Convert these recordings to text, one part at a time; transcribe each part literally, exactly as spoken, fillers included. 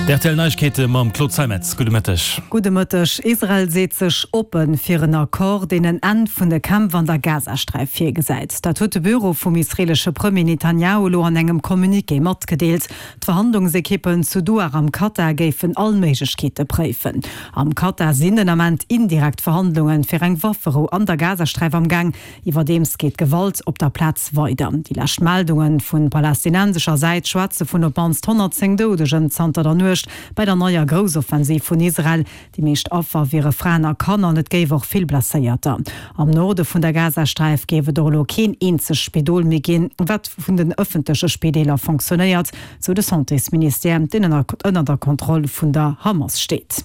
D' R T L Neiegkeete mam Claude Zeimetz. Gudde Mëtteg. Gudde Mëtteg. Israel seet sech oppe fir en Accord, deen en Enn vun de Kämpf an der Gazasträif virgesäit. Dat huet de Büro vum israeelesche Premier Netanjahu elo an engem Communiqué matgedeelt. D'Verhandlungsekippen zu Doha am Katar géifen all Méiglechkeete préifen. Am Katar sinn den Ament indirekt Verhandlunge fir eng Wafferou an der Gazasträif am Gaang. Iwwerdeems geet d'Gewalt op der Plaz weider. Déi lescht Meldunge vu palästinensescher Säit schwätze vun op d'mannst honnertzéng Doudegen zanter der Nuecht bei der neier Groussoffensiv vun Israel. Déi meescht Affer wiere Fraen a Kanner an et géif och vill Blesséierter. Am Norde vun der Gazasträif géif et och elo keen eenzegt Spidol méi ginn, wat vun den ëffentleche Spideeler fonctionnéiert, sou de Santésministère, deen ënner der Kontroll vun der Hamas steet.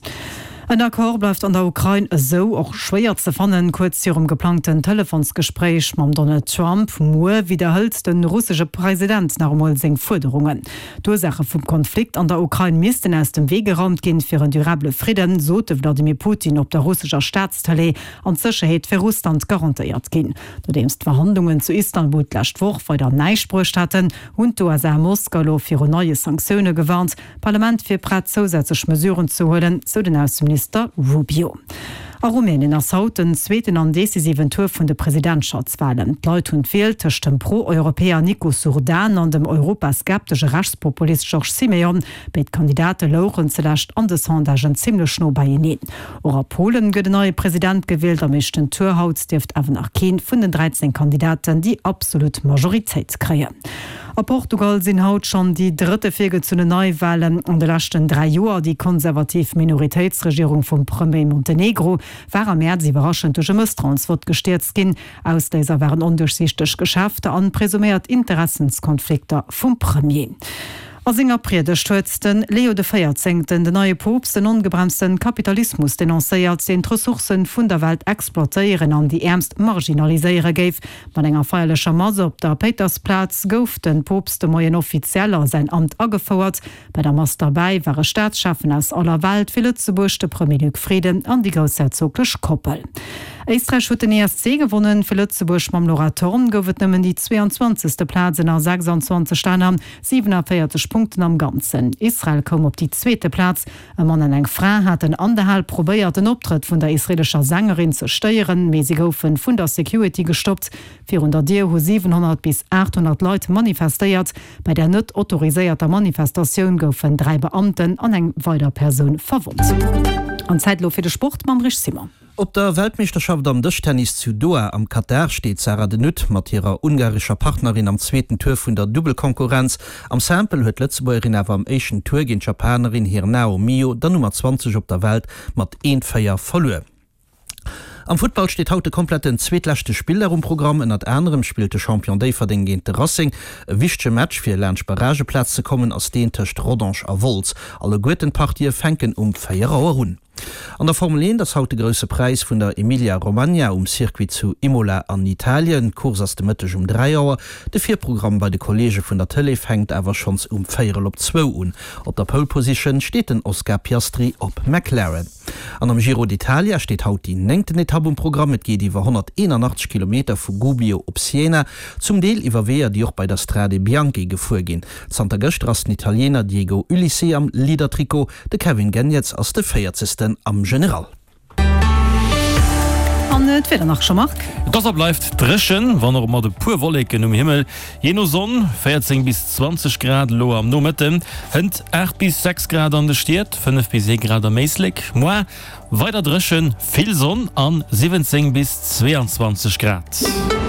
En Accord bleift an der Ukrain esou och schwéier ze fannen. Kuerz virum geplangten Telefonsgespréich mam Donald Trump muer widderhëlt de russesche President nach emol seng Fuerderungen. D'Ursaache vum Konflikt an der Ukrain missten aus dem Wee geraumt ginn, fir en durabele Fridden, sot de Wladimir Putin op der russescher Staatstëlee, an d'Sécherheet fir Russland garantéiert ginn. Nodeems d'Verhandlungen zu Istanbul d'lescht Woch weider näischt bruecht haten, hunn d'U S A Moskau elo viru neie Sanktioune gewarnt. D'Parlament wier prett zousätzlech Mesuren ze huelen, sou den Ausseminister Rubio. A Rumänien ass haut den zweeten an decisiven Tour vun de Presidentschaftswalen. D'Leit hunn d'Wiel tëscht dem Pro-Europäer Nicusor Dan an dem europaskeptesche Rechtspopulist George Simion. Béid Kandidate louchen zulescht an de Sondagen zimmlech no beieneen. Och a Polen gëtt en neie President gewielt. Am éischten Tour haut dierft awer nach kee vun den dräizéng Kandidaten déi absolut Majoritéit kréien. A Portugal sinn haut schonn déi drëtte virgezunnen Neiwalen an de leschten dräi Joer. Déi konservativ Minoritéitsregierung vum Premier Montenegro war am Mäerz iwwerraschend duerch e Mësstrauensvott gestierzt ginn. Ausléiser waren onduerchsiichteg Geschäfter an presuméiert Interessenskonflikter vum Premier. A senger Priedegt huet de Leo de Véierzéngten, den neie Poopst, den ongebremsten Kapitalismus denoncéiert, deen d'Ressourcen vun der Welt exploitéieren an déi Äermst marginaliséiere géif. Mat enger feierlecher Mass op der Péitersplaz gouf de Poopst de Moien offiziell a säin Amt agefouert. Bei der Mass derbäi ware Staatscheffen aus aller Welt, fir Lëtzebuerg de Premier Luc Frieden an déi groussherzoglech Koppel. Éisträich huet den E S C gewonnen, fir Lëtzebuerg mam Laura Thorn gouf et nëmmen déi zweeanzwanzegste Plaz ënner sechsanzwanzeg Länner, siewenanvéierzeg Punkten am Ganzen. Israel koum op déi zweete Plaz. E Mann an eng Fra haten an der Hal probéiert, den Optrëtt vun der israeelescher Sängerin ze stéieren, mee si goufe vun der Security gestoppt. Virun der Dier hu siwenhonnert bis aathonnert Leit manifestéiert. Bei der net autoriséierter Manifestatioun goufen dräi Beamten an eng weider Persoun verwonnt. An Zäit elo fir de Sport mam Rich Simon. Op der Weltmeeschterschaft am Dëschtennis zu Doha am Katar steet d'Sarah de Nutte mat hirer ungarescher Partnerin am zweeten Tour vun der Dubbelkonkurrenz. Am Simple huet d'Lëtzebuergerin awer am éischten Tour géint d'Japanerin Hirnao Mio, der Nummer zwanzeg op der Welt, mat eent, véier verluer. Am Futtball steet haut de kompletten zweetleschte Spilldag um Programm. Ënnert anerem spillt de Champion Déifferdeng géint de Racing. E wichtege Match fir laanscht Barrageplaz ze kommen ass deen tëscht Rodange a Wolz. Alleguerten d'Partië fänken um véier Auer un. An der Formel eent ass haut de Grousse Präis vun der Emilia-Romagna um Circuit zu Imola an Italien. D'Course ass de Mëtteg um dräi Auer. De Virprogramm bei de Kolleege vun der Tëlee fänkt awer schonns um véierel op zwou un. Op der Pole Position steet den Oscar Piastri op McLaren. An am Giro d'Italia steet haut déi néngten Etapp um Programm. Et geet iwwer honnerteenanachtzeg Kilometer vu Gubbio op Siena, zum Deel iwwer Weeër, déi och bei der Strade Bianche gefuer ginn. Zanter gëschter ass den Italiener Diego Ulissi am Leader-Trikot, de Kevin Geniets ass de véierzegsten am General. An d'Wieder nach, Jean-Marc. Et ass a bleift dréchen, wann och mat e puer Wolleken um Himmel. Jee no Sonn, véierzéng bis zwanzeg Grad elo am Nomëtten, hënt aacht bis sechs Grad an de Stied, fënnef bis ee Grad am Éislek. Moar weider dréchen, vill Sonn an siwwenzéng bis zweeanzwanzeg Grad.